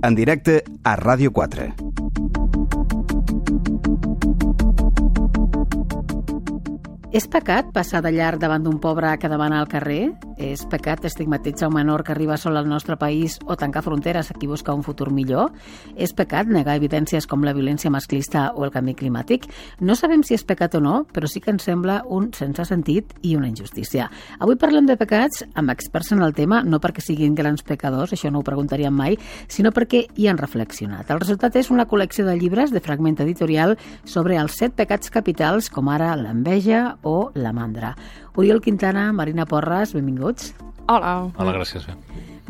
en directe a Ràdio 4. És pecat passar de llarg davant d'un pobre que demana al carrer? És pecat estigmatitzar un menor que arriba sol al nostre país o tancar fronteres a qui busca un futur millor? És pecat negar evidències com la violència masclista o el canvi climàtic? No sabem si és pecat o no, però sí que ens sembla un sense sentit i una injustícia. Avui parlem de pecats amb experts en el tema, no perquè siguin grans pecadors, això no ho preguntaríem mai, sinó perquè hi han reflexionat. El resultat és una col·lecció de llibres de Fragment Editorial sobre els 7 pecats capitals, com ara l'enveja o la mandra. Oriol Quintana, Marina Porras, benvinguts. Hola. Hola, gràcies.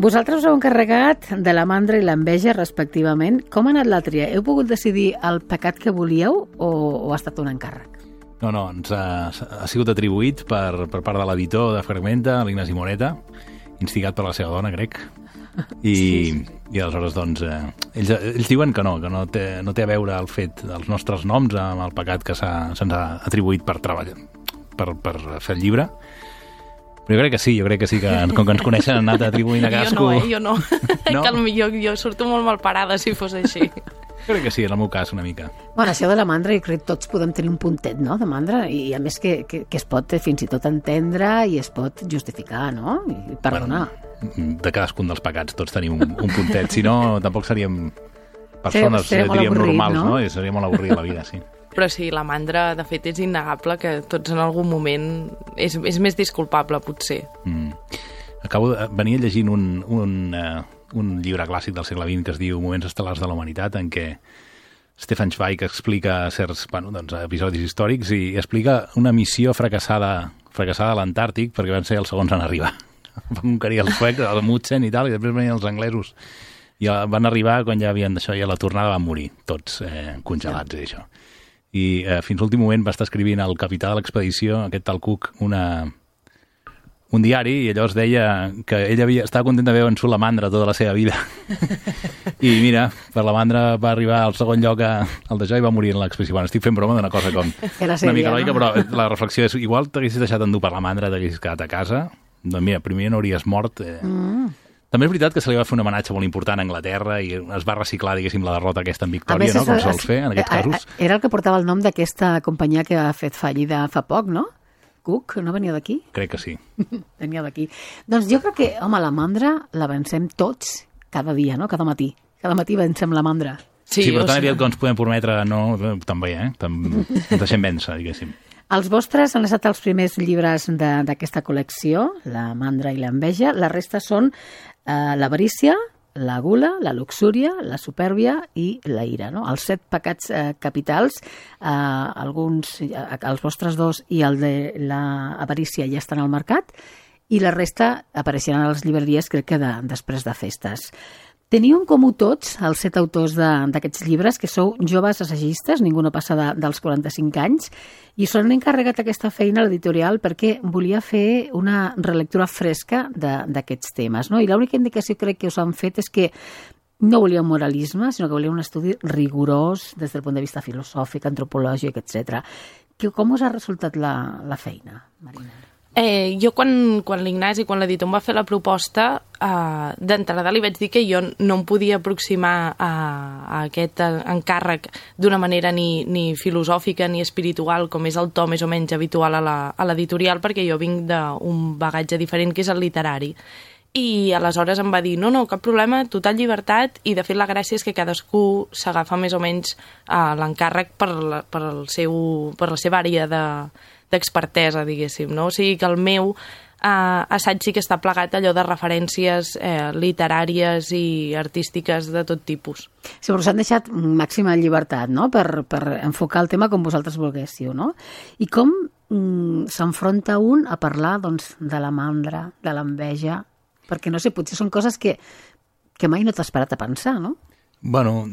Vosaltres us heu encarregat de la mandra i l'enveja, respectivament. Com ha anat la tria? Heu pogut decidir el pecat que volíeu o ha estat un encàrrec? No, ens ha sigut atribuït per part de l'editor de Fragmenta, l'Ignasi Moreta, instigat per la seva dona, crec. I aleshores, doncs, ells diuen que no té a veure el fet dels nostres noms amb el pecat que se'ns ha atribuït per treballar, per fer el llibre. Però jo crec que sí, que com que ens coneixen han anat atribuint a cadascú... Jo no. No? Jo surto molt mal parada si fos així. Jo crec que sí, en el meu cas, una mica. Bueno, això de la mandra, jo crec que tots podem tenir un puntet, no?, de mandra, i a més que es pot fins i tot entendre i es pot justificar, no?, i perdonar. Bueno, de cadascun dels pecats tots tenim un puntet, si no tampoc seríem persones, diríem, avorrit, normals, no? I seria molt avorrida la vida, sí. Però sí, la mandra, de fet, és innegable que tots en algun moment és més disculpable, potser. Venia llegint un llibre clàssic del segle XX que es diu Moments estel·lars de la humanitat, en què Stefan Zweig explica certs episodis històrics i explica una missió fracassada a l'Antàrtic perquè van ser els segons en arribar. Van conquerir els suecs, el Amundsen i tal, i després venien els anglesos. I van arribar quan ja havien d'això, i a la tornada van morir, tots congelats i això. I fins l'últim moment va estar escrivint el capità de l'expedició, aquest tal Cook, un diari, i llavors deia que ell estava content d'haver vençut la mandra tota la seva vida. I mira, per la mandra va arribar al segon lloc al d'això i va morir en l'expedició. Bueno, estic fent broma d'una cosa com una mica lògica, però la reflexió és, igual t'haguessis deixat endur per la mandra, t'haguessis quedat a casa, doncs mira, primer no hauries mort. També és veritat que se li va fer un homenatge molt important a Anglaterra i es va reciclar, diguéssim, la derrota aquesta en victòria, no?, com sols fer en aquests casos. Era el que portava el nom d'aquesta companyia que ha fet fallida fa poc, no? Cook, no venia d'aquí? Crec que sí. Venia d'aquí. Doncs jo crec que, home, la mandra la vencem tots cada dia, no?, cada matí. Cada matí vencem la mandra. Sí, però tan aviat que ens podem prometre, no, també, ens deixem vèncer, diguéssim. Els vostres han estat els primers llibres d'aquesta col·lecció, la mandra i l'enveja. La resta són l'avarícia, la gula, la luxúria, la supèrbia i la ira, no? Els 7 pecats capitals, els vostres 2 i el de l'avarícia ja estan al mercat i la resta apareixeran a les llibreries, crec que després de festes. Teniu en comú tots, els 7 autors d'aquests llibres, que sou joves assagistes, ningú no passa dels 45 anys, i s'han encarregat aquesta feina a l'editorial perquè volia fer una relectura fresca d'aquests temes, no? I l'única indicació crec que us han fet és que no volia un moralisme, sinó que volia un estudi rigorós des del punt de vista filosòfic, antropològic, etc. Com us ha resultat la feina, Marina? Jo quan l'Ignasi, quan l'editor em va fer la proposta, d'entrada li vaig dir que jo no em podia aproximar a aquest encàrrec d'una manera ni filosòfica ni espiritual, com és el to més o menys habitual a l'editorial, perquè jo vinc d'un bagatge diferent, que és el literari. I aleshores em va dir, no, cap problema, total llibertat, i de fet la gràcia és que cadascú s'agafa més o menys l'encàrrec per la seva àrea d'expertesa, diguéssim, no? O sigui que el meu assaig sí que està plegat allò de referències literàries i artístiques de tot tipus. Sí, però s'han deixat màxima llibertat, no?, per enfocar el tema com vosaltres volguéssiu, no? I com s'enfronta un a parlar, doncs, de la mandra, de l'enveja? Perquè, no sé, potser són coses que mai no t'has parat a pensar, no? Bueno,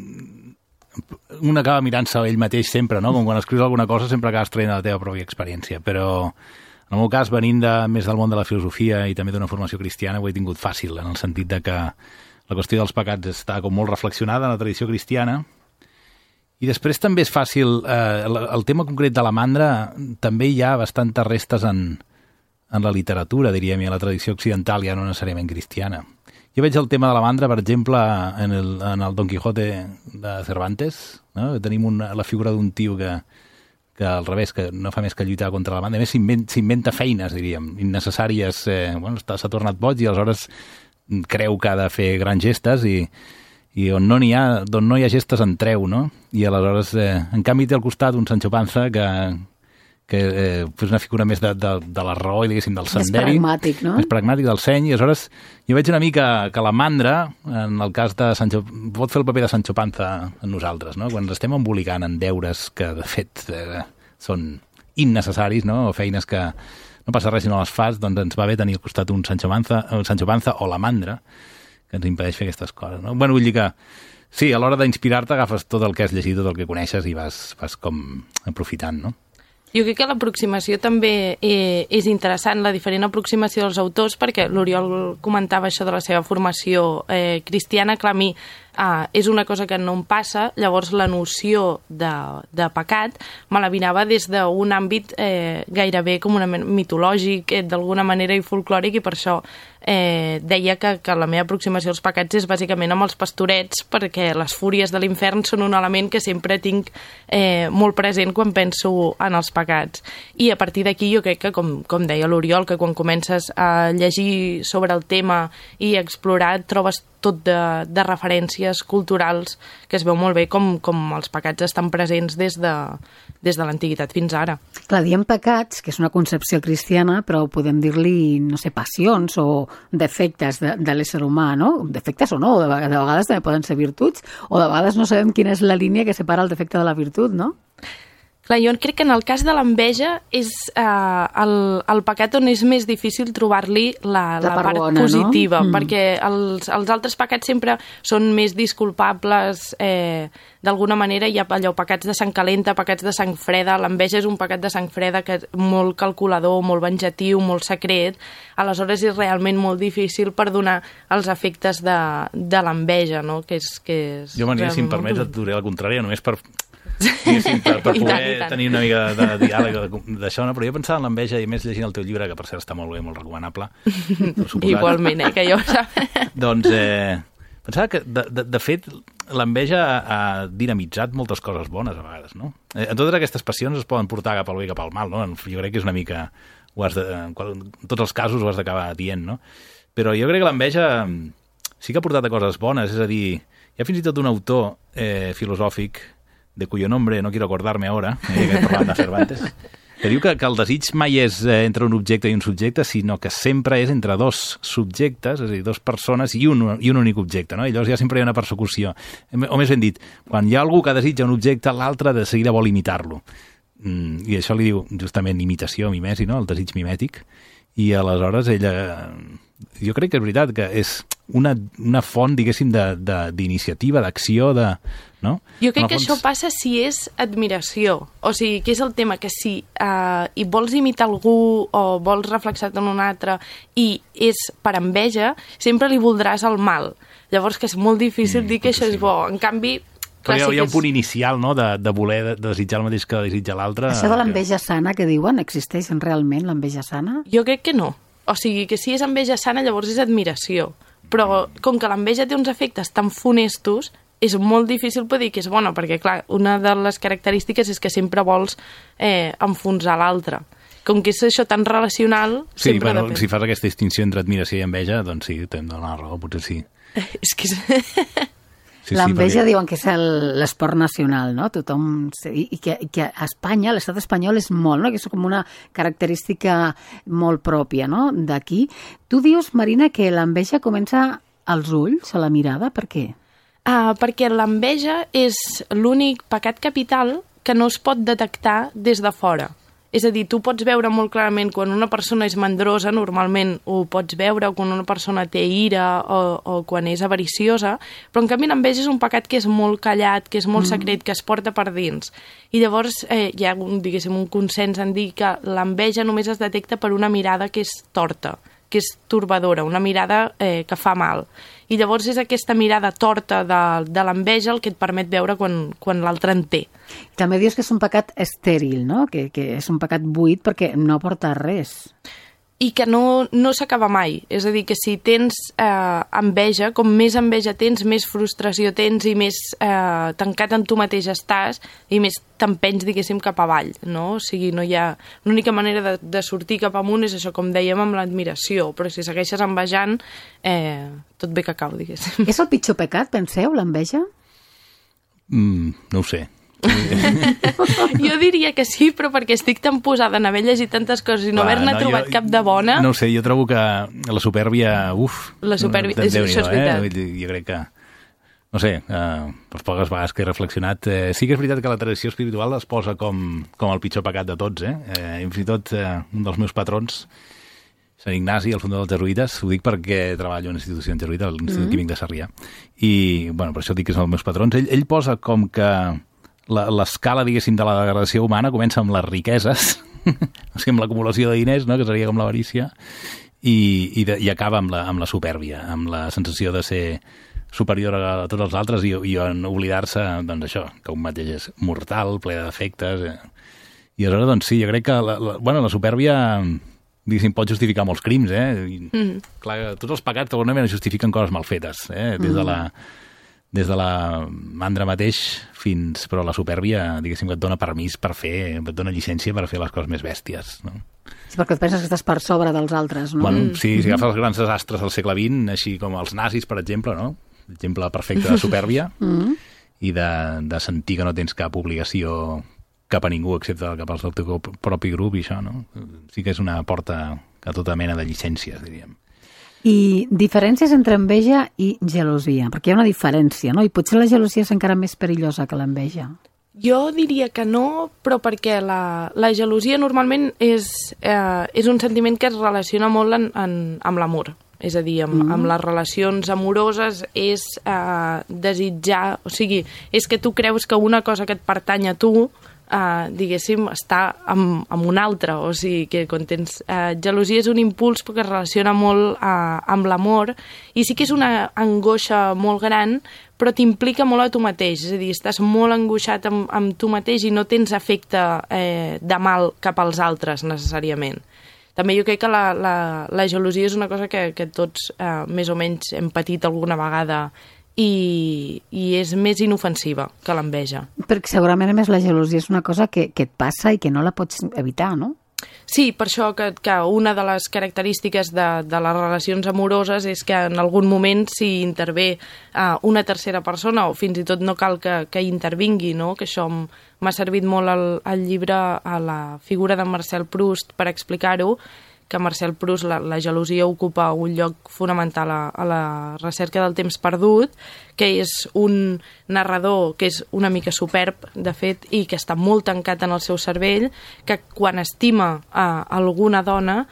un acaba mirant-se ell mateix sempre, no? Com quan escrius alguna cosa sempre acabes traient la teva pròpia experiència, però en el meu cas, venint més del món de la filosofia i també d'una formació cristiana, ho he tingut fàcil, en el sentit de que la qüestió dels pecats està com molt reflexionada en la tradició cristiana, i després també és fàcil, el tema concret de la mandra, també hi ha bastantes restes en la literatura, diríem, i a la tradició occidental, ja no necessàriament cristiana. Jo veig el tema de la mandra, per exemple, en el Don Quijote de Cervantes, no? Tenim la figura d'un tio que al revés, que no fa més que lluitar contra la mandra. A més, s'inventa feines, diríem, innecessàries. S'ha tornat boig i aleshores creu que ha de fer grans gestes i on no hi ha gestes en treu, no? I aleshores, en canvi, té al costat un Sancho Panza que és una figura més de la raó i, diguéssim, del senderi. Més pragmàtic, no? Més pragmàtic, del seny. I aleshores jo veig una mica que la mandra, en el cas de Sancho, pot fer el paper de Sancho Panza en nosaltres, no? Quan ens estem embolicant en deures que, de fet, són innecessaris, no? O feines que no passa res si no les fas, doncs ens va bé tenir al costat un Sancho Panza o la mandra, que ens impedeix fer aquestes coses, no? Bueno, vull dir que sí, a l'hora d'inspirar-te agafes tot el que has llegit, tot el que coneixes i vas com aprofitant, no? Jo crec que l'aproximació també és interessant, la diferent aproximació dels autors, perquè l'Oriol comentava això de la seva formació cristiana, clar, a mi és una cosa que no em passa, llavors la noció de pecat me la vinava des d'un àmbit gairebé com una mitològic, d'alguna manera, i folclòric, i per això deia que la meva aproximació als pecats és bàsicament amb els pastorets, perquè les fúries de l'infern són un element que sempre tinc molt present quan penso en els pecats. I a partir d'aquí jo crec que, com deia l'Oriol, que quan comences a llegir sobre el tema i a explorar trobes tot de referències culturals que es veu molt bé com els pecats estan presents des de l'antiguitat fins ara. Clar, diem pecats, que és una concepció cristiana, però podem dir-li, no sé, passions o defectes de l'ésser humà, no? Defectes o no, de vegades també poden ser virtuts, o de vegades no sabem quina és la línia que separa el defecte de la virtut, no? Clar, jo crec que en el cas de l'enveja és el pecat on és més difícil trobar-li la part bona, positiva, no? Perquè els altres pecats sempre són més disculpables, d'alguna manera hi ha allò, pecats de sang calenta, pecats de sang freda, l'enveja és un pecat de sang freda que és molt calculador, molt venjatiu, molt secret, aleshores és realment molt difícil perdonar els efectes de l'enveja, no? Que és jo, Maria, si em permets, et diré la contrària, només per poder tenir una mica de diàleg d'això, no? Però jo pensava en l'enveja, i més llegint el teu llibre, que per cert està molt bé, molt recomanable. Igualment, que jo... Doncs pensava que, de fet, l'enveja ha dinamitzat moltes coses bones, a vegades, no? Totes aquestes passions es poden portar cap al bé i cap al mal, no? Jo crec que és una mica... en tots els casos ho has d'acabar dient, no? Però jo crec que l'enveja sí que ha portat a coses bones, és a dir, hi ha fins i tot un autor filosòfic de cuyo nombre no quiero acordarme ahora, que parlant de Cervantes, que diu que el desig mai és entre un objecte i un subjecte, sinó que sempre és entre dos subjectes, és a dir, dos persones i un únic objecte, no? I llavors ja sempre hi ha una persecució. O més ben dit, quan hi ha algú que desitja un objecte, l'altre de seguida vol imitar-lo. I això li diu justament imitació, mimesi, no? El desig mimètic. I aleshores ella... Jo crec que és veritat que és una font, diguéssim, d'iniciativa, d'acció, no? Jo crec que això passa si és admiració. O sigui, que és el tema que si hi vols imitar algú o vols reflexar-te en un altre i és per enveja, sempre li voldràs el mal. Llavors que és molt difícil dir que això és bo. En canvi... Però hi ha un punt inicial, no?, de voler desitjar el mateix que desitja l'altre. Això de l'enveja sana que diuen, existeix realment l'enveja sana? Jo crec que no. O sigui, que si és enveja sana, llavors és admiració. Però com que l'enveja té uns efectes tan funestos, és molt difícil poder dir que és bona, perquè, clar, una de les característiques és que sempre vols enfonsar l'altre. Com que és això tan relacional... Sí, bueno, si fas aquesta distinció entre admiració i enveja, doncs sí, t'hem de donar la raó, potser sí. És que... L'enveja diuen que és l'esport nacional, no? Tothom... I que a Espanya, l'estat espanyol és molt, no? Que és com una característica molt pròpia, no?, d'aquí. Tu dius, Marina, que l'enveja comença als ulls, a la mirada. Per què? Perquè l'enveja és l'únic pecat capital que no es pot detectar des de fora. És a dir, tu pots veure molt clarament quan una persona és mandrosa, normalment ho pots veure, o quan una persona té ira o quan és avariciosa, però en canvi l'enveja és un pecat que és molt callat, que és molt secret, que es porta per dins. I llavors hi ha, diguéssim, un consens en dir que l'enveja només es detecta per una mirada que és torta, que és torbadora, una mirada que fa mal. I llavors és aquesta mirada torta de l'enveja el que et permet veure quan l'altre en té. També dius que és un pecat estèril, no? Que és un pecat buit perquè no aporta res. i que no s'acaba mai. És a dir, que si tens enveja, com més enveja tens, més frustració tens i més tancat en tu mateix estàs i més t'empenys, diguéssim, cap avall, no? O sigui, no hi ha... L'única manera de sortir cap amunt és això, com dèiem, amb l'admiració, però si segueixes envejant, tot bé que cau, diguéssim. És el pitjor pecat, penseu, l'enveja? No ho sé. Jo diria que sí, però perquè estic tan posada en haver llegit tantes coses i no haver-ne trobat cap de bona... No ho sé, jo trobo que la supèrbia... La supèrbia, això és veritat. Jo crec que... No sé, per poques vegades que he reflexionat... Sí que és veritat que la tradició espiritual es posa com el pitjor pecat de tots, I fins i tot un dels meus patrons, Sant Ignasi, el fundador dels jesuïtes, ho dic perquè treballo en institució jesuïta, a l'Institut Químic de Sarrià, i bueno, per això dic que és un dels meus patrons. Ell posa com que l'escala, diguéssim, de la degradació humana comença amb les riqueses, o sigui, amb l'acumulació de diners, no?, que seria com l'avarícia, i acaba amb la supèrbia, amb la sensació de ser superior a tots els altres i en oblidar-se, doncs això, que un mateix és mortal, ple de defectes. I aleshores, doncs sí, jo crec que la supèrbia, diguéssim, pot justificar molts crims, Clar, tots els pecats d'alguna manera justifiquen coses mal fetes, des de la mandra mateix fins... Però la supèrbia, diguéssim, que et dona permís per fer, et dona llicència per fer les coses més bèsties, no? Sí, perquè et penses que estàs per sobre dels altres, no? Bueno, sí, si agafes els grans desastres del segle XX, així com els nazis, per exemple, no? Exemple perfecte de supèrbia i de sentir que no tens cap obligació cap a ningú excepte cap al teu propi grup i això, no? Sí que és una porta a tota mena de llicències, diríem. I diferències entre enveja i gelosia, perquè hi ha una diferència, no? I potser la gelosia és encara més perillosa que l'enveja. Jo diria que no, però perquè la gelosia normalment és un sentiment que es relaciona molt amb l'amor. És a dir, amb les relacions amoroses és desitjar... O sigui, és que tu creus que una cosa que et pertany a tu diguéssim, està amb un altre, o sigui que quan tens gelosia és un impuls que es relaciona molt amb l'amor i sí que és una angoixa molt gran, però t'implica molt a tu mateix, és a dir, estàs molt angoixat amb tu mateix i no tens efecte de mal cap als altres necessàriament. També jo crec que la gelosia és una cosa que tots més o menys hem patit alguna vegada i és més inofensiva que l'enveja. Perquè segurament, a més, la gelosia és una cosa que et passa i que no la pots evitar, no? Sí, per això que una de les característiques de les relacions amoroses és que en algun moment s'hi intervé una tercera persona o fins i tot no cal que intervingui, no? Que això m'ha servit molt al llibre a la figura de Marcel Proust per explicar-ho, que Marcel Proust la gelosia ocupa un lloc fonamental a la recerca del temps perdut, que és un narrador que és una mica superb, de fet, i que està molt tancat en el seu cervell, que quan estima alguna dona,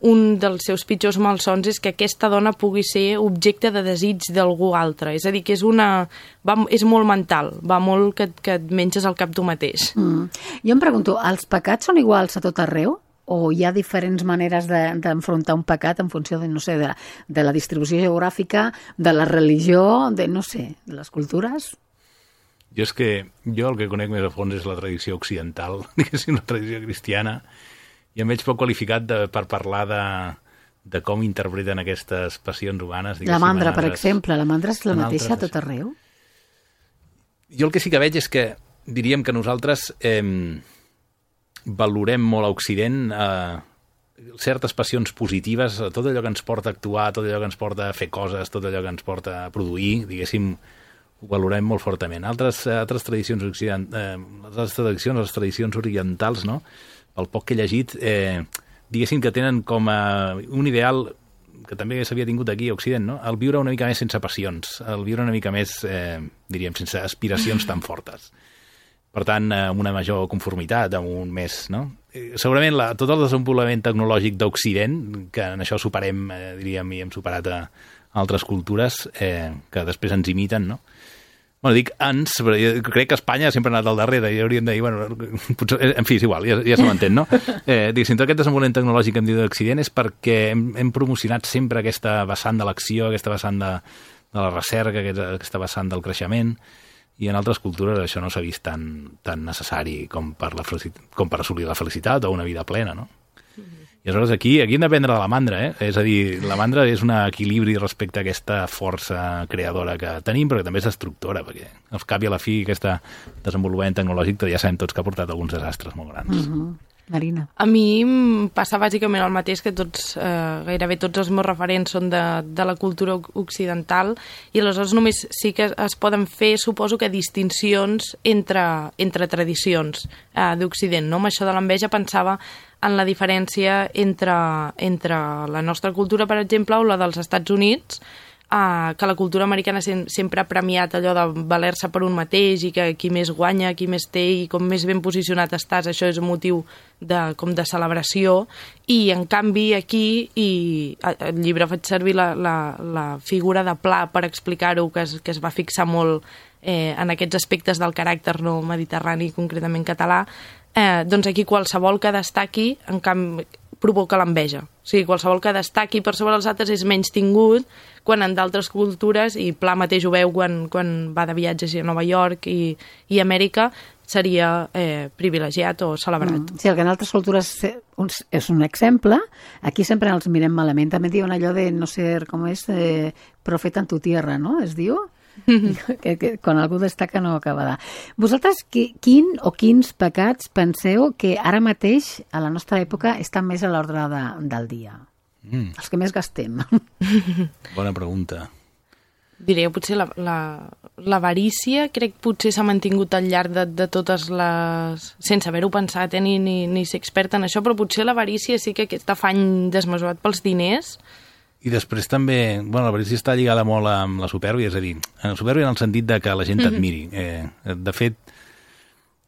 un dels seus pitjors malsons és que aquesta dona pugui ser objecte de desig d'algú altre. És a dir, que és molt mental, va molt que et menges al cap tu mateix. Jo em pregunto, els pecats són iguals a tot arreu? O hi ha diferents maneres d'enfrontar un pecat en funció de, no sé, de la distribució geogràfica, de la religió, de, no sé, de les cultures? Jo el que conec més a fons és la tradició occidental, diguéssim, la tradició cristiana, i em veig poc qualificat per parlar de com interpreten aquestes passions humanes. La mandra, per exemple, la mandra és la mateixa a tot arreu? Jo el que sí que veig és que diríem que nosaltres... valorem molt a Occident certes passions positives, tot allò que ens porta a actuar, tot allò que ens porta a fer coses, tot allò que ens porta a produir, diguéssim, ho valorem molt fortament. Altres tradicions les tradicions orientals, no? El poc que he llegit, diguéssim que tenen com a un ideal que també s'havia tingut aquí a Occident, no? El viure una mica més sense passions, el viure una mica més, diríem, sense aspiracions tan fortes. Per tant, amb una major conformitat, amb un més... No? Segurament tot el desenvolupament tecnològic d'Occident, que en això superem, diríem, i hem superat a altres cultures que després ens imiten, no? Bueno, dic ens, però jo crec que Espanya sempre ha anat al darrere i hauríem de dir, bueno, potser, en fi, és igual, ja se m'entén, no? Diguéssim, tot aquest desenvolupament tecnològic que hem dit d'Occident és perquè hem promocionat sempre aquesta vessant de l'acció, aquesta vessant de la recerca, aquesta vessant del creixement, i en altres cultures això no s'ha vist tan necessari com per assolir la felicitat o una vida plena, no? I aleshores aquí hem d'aprendre de la mandra, És a dir, la mandra és un equilibri respecte a aquesta força creadora que tenim, però que també és destructora, perquè al cap i a la fi aquest desenvolupament tecnològic ja sabem tots que ha portat alguns desastres molt grans. Marina. A mi em passa bàsicament el mateix, que gairebé tots els meus referents són de la cultura occidental, i aleshores només sí que es poden fer, suposo que, distincions entre tradicions d'Occident, no? Amb això de l'enveja pensava en la diferència entre la nostra cultura, per exemple, o la dels Estats Units, que la cultura americana sempre ha premiat allò de valer-se per un mateix i que qui més guanya, qui més té i com més ben posicionat estàs, això és un motiu de celebració, i en canvi aquí, i al llibre faig servir la figura de Pla per explicar-ho, que es va fixar molt en aquests aspectes del caràcter no mediterrani, concretament català, doncs aquí qualsevol que destaqui, en canvi, provoca l'enveja. O sigui, qualsevol que destaqui per sobre els altres és menys tingut, quan en d'altres cultures, i Pla mateix ho veu quan va de viatges a Nova York i Amèrica, seria privilegiat o celebrat. Sí, el que en altres cultures és un exemple, aquí sempre els mirem malament. També diuen allò de no ser, com és, profeta en tu tierra, no? Es diu? que quan algú destaca no acaba de... Vosaltres quins pecats penseu que ara mateix a la nostra època estan més a l'ordre del dia? Els que més gastem. Bona pregunta. Diré, potser l'avarícia, crec que potser s'ha mantingut al llarg de totes les... sense haver-ho pensat, ni ser expert en això, però potser l'avarícia sí que aquest afany desmesurat pels diners. I després també, l'avarícia està lligada molt amb la supèrbia, és a dir, la supèrbia en el sentit de que la gent t'admiri. De fet,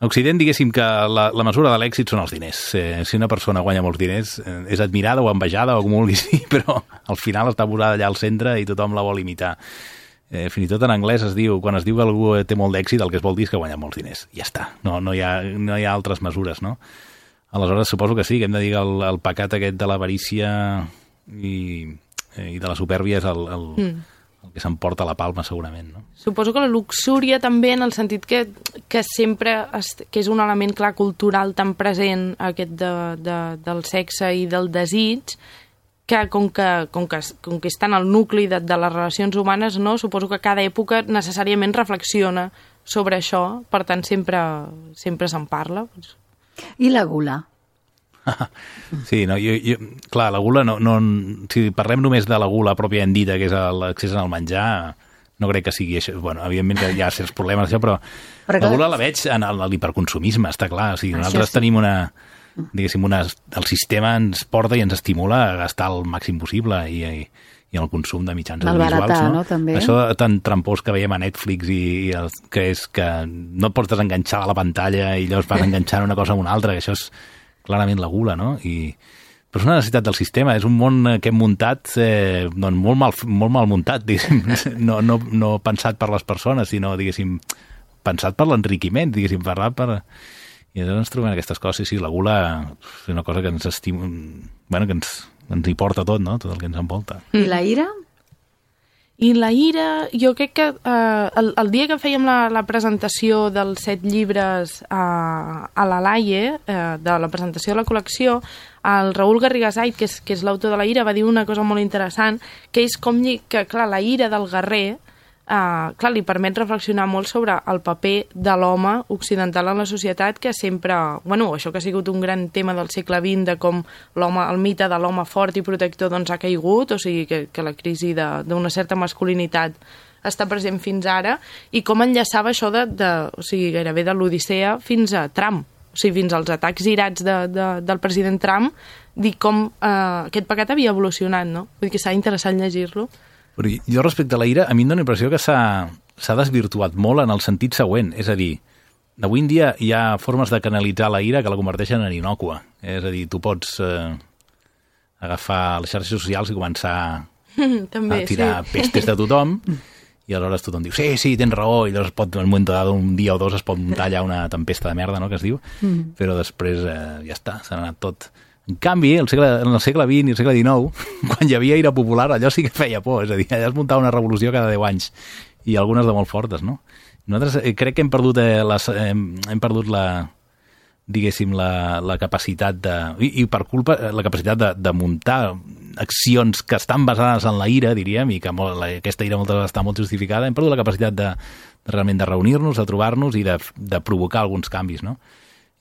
a Occident, diguéssim que la mesura de l'èxit són els diners. Si una persona guanya molts diners, és admirada o envejada o com vulguis dir, però al final està posada allà al centre i tothom la vol imitar. Fins i tot en anglès es diu, quan es diu que algú té molt d'èxit, el que es vol dir és que guanya molts diners. Ja està, no hi ha altres mesures, no? Aleshores, suposo que sí, que hem de dir que el pecat aquest de l'avarícia i de la supèrbia és el que s'emporta la palma, segurament, no? Suposo que la luxúria també, en el sentit que sempre que és un element clar cultural tan present, aquest del sexe i del desig, que com que està en el nucli de les relacions humanes, no? Suposo que cada època necessàriament reflexiona sobre això, per tant sempre se'n parla. I la gula? Sí, no, clar, la gula, si parlem només de la gula pròpiament dita, que és l'accés al menjar, no crec que sigui això. Bueno, evidentment que hi ha certs problemes d'això, però la gula la veig en l'hiperconsumisme, està clar. O sigui, nosaltres tenim el sistema ens porta i ens estimula a gastar el màxim possible i el consum de mitjans audiovisuals, no? També. Això tan trampós que veiem a Netflix que és que no et pots desenganxar de la pantalla i llavors vas enganxant una cosa amb una altra, que això és clarament la gula, no? Però és una necessitat del sistema, és un món que hem muntat molt mal muntat, diguéssim, no pensat per les persones, sinó, diguéssim, pensat per l'enriquiment, diguéssim, I llavors ens trobem aquestes coses, i la gula és una cosa que ens estima, que ens hi porta tot, no? Tot el que ens envolta. I la ira? I la ira, jo crec que el dia que fèiem la presentació dels 7 llibres a la Laie, de la presentació de la col·lecció, el Raül Garrigasait, que és l'autor de la ira, va dir una cosa molt interessant, que és que, clar, la ira del guerrer li permet reflexionar molt sobre el paper de l'home occidental en la societat, que sempre, això que ha sigut un gran tema del segle XX, de com el mite de l'home fort i protector doncs ha caigut, o sigui que la crisi d'una certa masculinitat està present fins ara, i com enllaçava això gairebé de l'Odissea fins a Trump, o sigui, fins als atacs irats del president Trump, dir com aquest pecat havia evolucionat, no? Vull dir que serà interessant llegir-lo. Però jo, respecte a la ira, a mi em dóna la impressió que s'ha desvirtuat molt en el sentit següent. És a dir, avui en dia hi ha formes de canalitzar la ira que la converteixen en innòcua. És a dir, tu pots agafar les xarxes socials i començar a tirar pestes de tothom, i aleshores tothom diu, sí, tens raó, i llavors en un moment donat, un dia o dos, es pot muntar allà una tempesta de merda, no?, que es diu, però després ja està, s'ha anat tot. En canvi, en el segle XX i el segle XIX, quan hi havia ira popular, allò sí que feia por, és a dir, allà es muntava una revolució cada 10 anys, i algunes de molt fortes, no? Nosaltres crec que hem perdut diguéssim, la capacitat i per culpa, la capacitat de muntar accions que estan basades en la ira, diríem, i que aquesta ira moltes vegades està molt justificada, hem perdut la capacitat realment de reunir-nos, de trobar-nos i de provocar alguns canvis, no?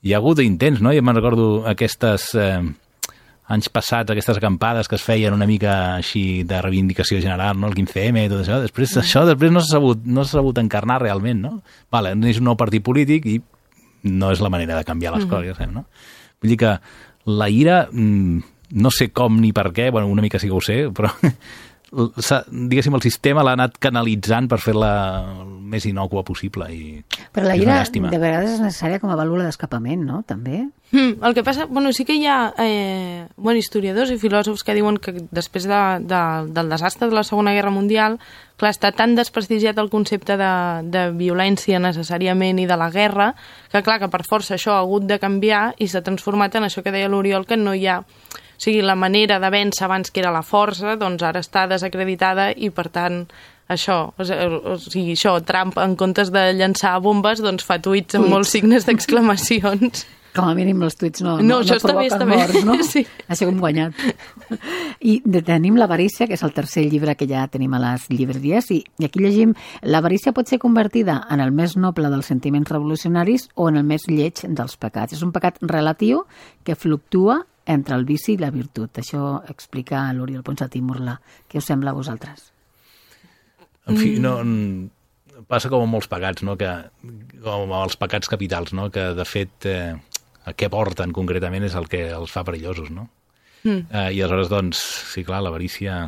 Hi ha hagut intents, no? Jo me'n recordo aquestes anys passats, aquestes acampades que es feien una mica així de reivindicació general, no? El 15M i tot això. Després no s'ha sabut encarnar realment, no? Vale, és un nou partit polític i no és la manera de canviar les coses, no? Vull dir que la ira, no sé com ni per què, bueno, una mica sí que ho sé, però diguéssim, el sistema l'ha anat canalitzant per fer-la el més innòcua possible. Però la ira de vegades és necessària com a vàlvula d'escapament, no? També. El que passa, bueno, sí que hi ha historiadors i filòsofs que diuen que després del desastre de la Segona Guerra Mundial, clar, està tan desprestigiat el concepte de violència necessàriament i de la guerra, que clar, que per força això ha hagut de canviar i s'ha transformat en això que deia l'Oriol, que no hi ha... O sigui, la manera de vèncer abans que era la força, doncs ara està desacreditada i, per tant, això, Trump, en comptes de llançar bombes, doncs fa tuits amb molts signes d'exclamacions. Com a mínim els tuits no provoquen morts, no? Sí. Això hem guanyat. I tenim l'avarícia, que és el tercer llibre que ja tenim a les llibreries, i aquí llegim: l'avarícia pot ser convertida en el més noble dels sentiments revolucionaris o en el més lleig dels pecats. És un pecat relatiu que fluctua entre el vici i la virtut. Això explica l'Oriol Ponsatí Murla. Què us sembla a vosaltres? En fi, passa com amb molts pecats, no? Com amb els pecats capitals, no? Que de fet a què porten concretament és el que els fa perillosos, no? I aleshores, doncs, sí, clar, l'avarícia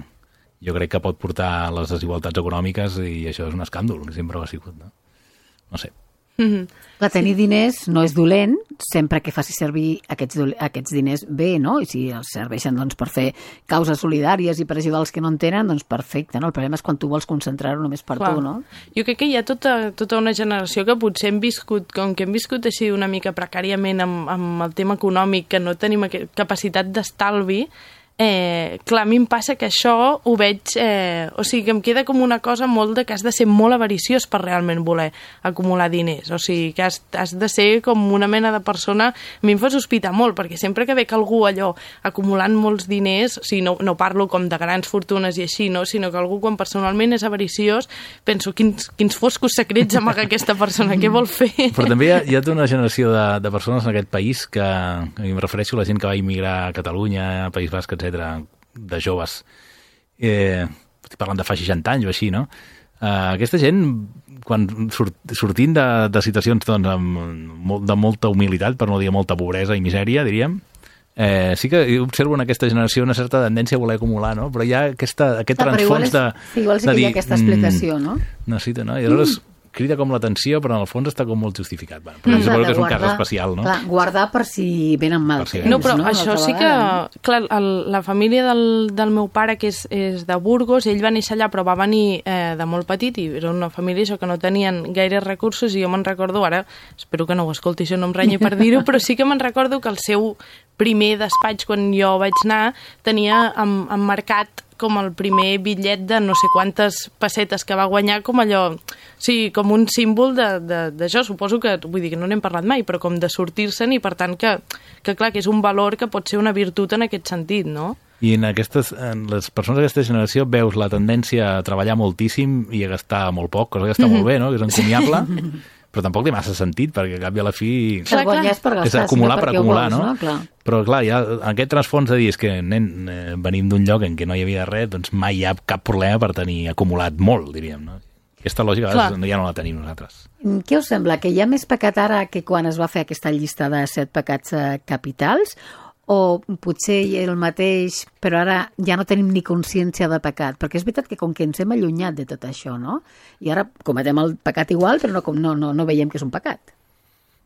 jo crec que pot portar a les desigualtats econòmiques i això és un escàndol, que sempre ho ha sigut, no? No sé. Clar, tenir diners no és dolent sempre que faci servir aquests diners bé, no? I si els serveixen doncs, per fer causes solidàries i per ajudar els que no en tenen, doncs perfecte, no? El problema és quan tu vols concentrar-ho només per tu, no? Jo crec que hi ha tota una generació que potser hem viscut, com que hem viscut així una mica precàriament amb el tema econòmic, que no tenim capacitat d'estalvi. Clar, a mi em passa que això ho veig, o sigui, que em queda com una cosa molt que has de ser molt avariciós per realment voler acumular diners, o sigui, que has de ser com una mena de persona. A mi em fa sospitar molt, perquè sempre que veig algú allò acumulant molts diners, o sigui, no parlo com de grans fortunes i així, no? Sinó que algú quan personalment és avariciós, penso, quins foscos secrets amaga aquesta persona, què vol fer? Però també hi ha tota una generació de persones en aquest país que em refereixo a la gent que va immigrar a Catalunya, a País Basc, etc., de joves, estic parlant de fa 60 anys o així, no? Aquesta gent, quan sortint de situacions doncs, de molta humilitat, per no dir molta pobresa i misèria, diríem, sí que observo en aquesta generació una certa tendència a voler acumular, no? Però hi ha aquest transfons de... Igual sí que hi ha aquesta explicació, no? Necessita, no? I aleshores crida com l'atenció, però en el fons està com molt justificat. Bueno, però suposo que és un cas especial, no? Clar, guardar per si venen mal temps, no? Però això sí que... Clar, la família del meu pare, que és de Burgos, ell va néixer allà, però va venir de molt petit, i era una família això que no tenien gaires recursos, i jo me'n recordo, ara, espero que no ho escolti, això no em renyi per dir-ho, però sí que me'n recordo que el seu primer despatx, quan jo vaig anar, tenia emmarcat com el primer bitllet de no sé quantes pessetes que va guanyar, com allò, sí, com un símbol d'això. Suposo que, vull dir que no n'hem parlat mai, però com de sortir-se'n, i per tant que clar, que és un valor que pot ser una virtut en aquest sentit, no? I en les persones d'aquesta generació veus la tendència a treballar moltíssim i a gastar molt poc, cosa que està molt bé, no? Que és encomiable, però tampoc té massa sentit, perquè al cap i a la fi és acumular per acumular, vols, no? Clar. Però clar, hi ha aquest transfons de dir és que, nen, venim d'un lloc en què no hi havia res, doncs mai hi ha cap problema per tenir acumulat molt, diríem, no? Aquesta lògica ja no la tenim nosaltres. Què us sembla? Que hi ha més pecat ara que quan es va fer aquesta llista de 7 pecats capitals? O potser el mateix, però ara ja no tenim ni consciència de pecat? Perquè és veritat que com que ens hem allunyat de tot això, no? I ara cometem el pecat igual, però no veiem que és un pecat.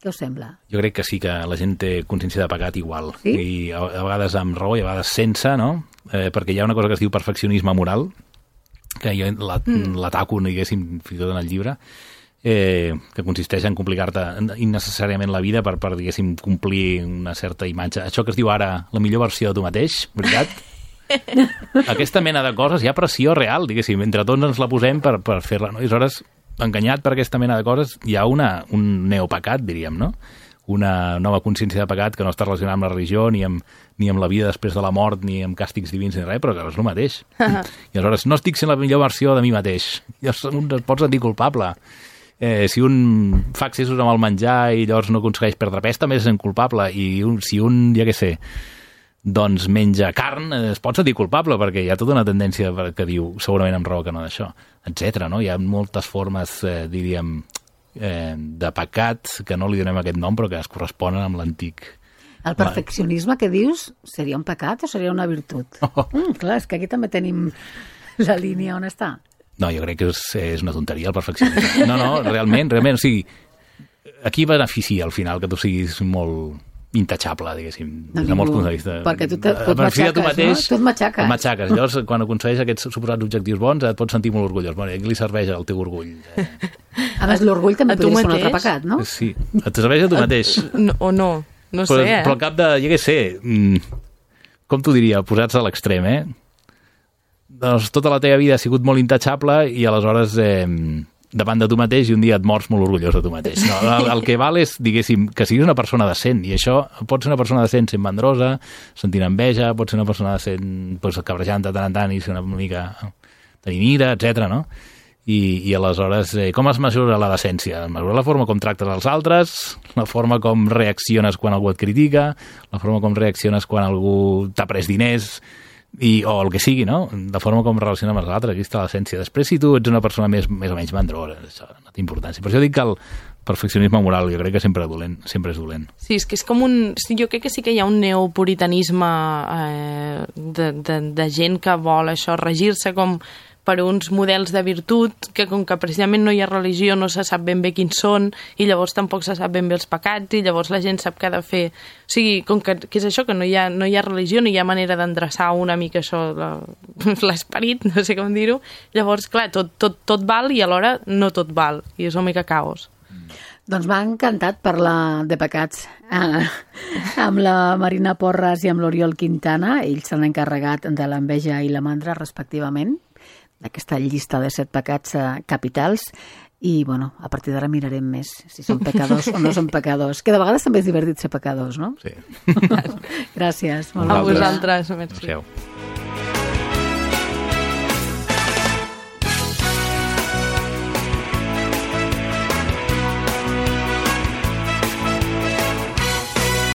Què us sembla? Jo crec que sí que la gent té consciència de pecat igual. Sí? I a vegades amb raó i a vegades sense, no? Perquè hi ha una cosa que es diu perfeccionisme moral, que jo l'ataco, diguéssim, fins i tot en el llibre, que consisteix en complicar-te innecessàriament la vida per diguéssim, complir una certa imatge. Això que es diu ara la millor versió de tu mateix, veritat? Aquesta mena de coses, hi ha pressió real, diguéssim, entre tots ens la posem per fer-la, no? I aleshores, enganyat per aquesta mena de coses, hi ha un neopecat, diríem, no? una nova consciència de pecat que no està relacionada amb la religió, ni amb la vida després de la mort, ni amb càstigs divins, ni res, però que és el mateix. I aleshores no estic sent la millor versió de mi mateix. Llavors un es pot sentir culpable. Si un fa excessos amb el menjar i llavors no aconsegueix perdre pes, també es sent culpable. I si un, ja què sé, doncs menja carn, es pot sentir culpable, perquè hi ha tota una tendència que diu, segurament amb raó que no d'això, etc. No? Hi ha moltes formes, diríem, de pecat, que no li donem aquest nom, però que es corresponen amb l'antic. El perfeccionisme que dius seria un pecat o seria una virtut? Clar, és que aquí també tenim la línia on està. No, jo crec que és una tonteria el perfeccionisme. No, realment, o sigui, aquí beneficia al final que tu siguis molt intachable, diguéssim, des de molts punts de vista. Perquè tu mateix, no? Tu et matxaques. Matxaques. Llavors, quan aconsegueix aquests suposats objectius bons, et pots sentir molt orgullós. Bueno, i a qui li serveix el teu orgull? A més, l'orgull també podria ser un altre pecat, no? Sí, et serveix a tu mateix. No sé, Però al cap de, ja què sé, com t'ho diria, posats a l'extrem, Doncs tota la teva vida ha sigut molt intachable i aleshores davant de tu mateix i un dia et mors molt orgullós de tu mateix. No, el que val és, diguéssim, que siguis una persona decent, i això pot ser una persona decent sent mandrosa, sentint enveja, pot ser una persona decent cabrejant de tant en tant i ser una mica tenint ira, etc. No? I aleshores, com es mesura la decència? Es mesura la forma com tractes els altres, la forma com reacciones quan algú et critica, la forma com reacciones quan algú t'ha pres diners, o el que sigui, no? La forma com relaciona amb els altres, aquí està l'essència. Després, si tu ets una persona més o menys mandrosa, això no té importància. Per això dic que el perfeccionisme moral jo crec que sempre és dolent. Sí, és que és com un... Jo crec que sí que hi ha un neopuritanisme de gent que vol això, regir-se com per uns models de virtut que com que precisament no hi ha religió no se sap ben bé quins són i llavors tampoc se sap ben bé els pecats i llavors la gent sap què ha de fer. O sigui, com que és això, que no hi ha religió, no hi ha manera d'endreçar una mica això, l'esperit, no sé com dir-ho. Llavors, clar, tot val i alhora no tot val i és una mica caos. Doncs m'ha encantat parlar de pecats amb la Marina Porras i amb l'Oriol Quintana. Ells s'han encarregat de l'enveja i la mandra, respectivament, d'aquesta llista de 7 pecats capitals i, bueno, a partir d'ara mirarem més si són pecadors o no són pecadors, que de vegades també és divertit ser pecadors, no? Sí. Gràcies. A vosaltres. Merci.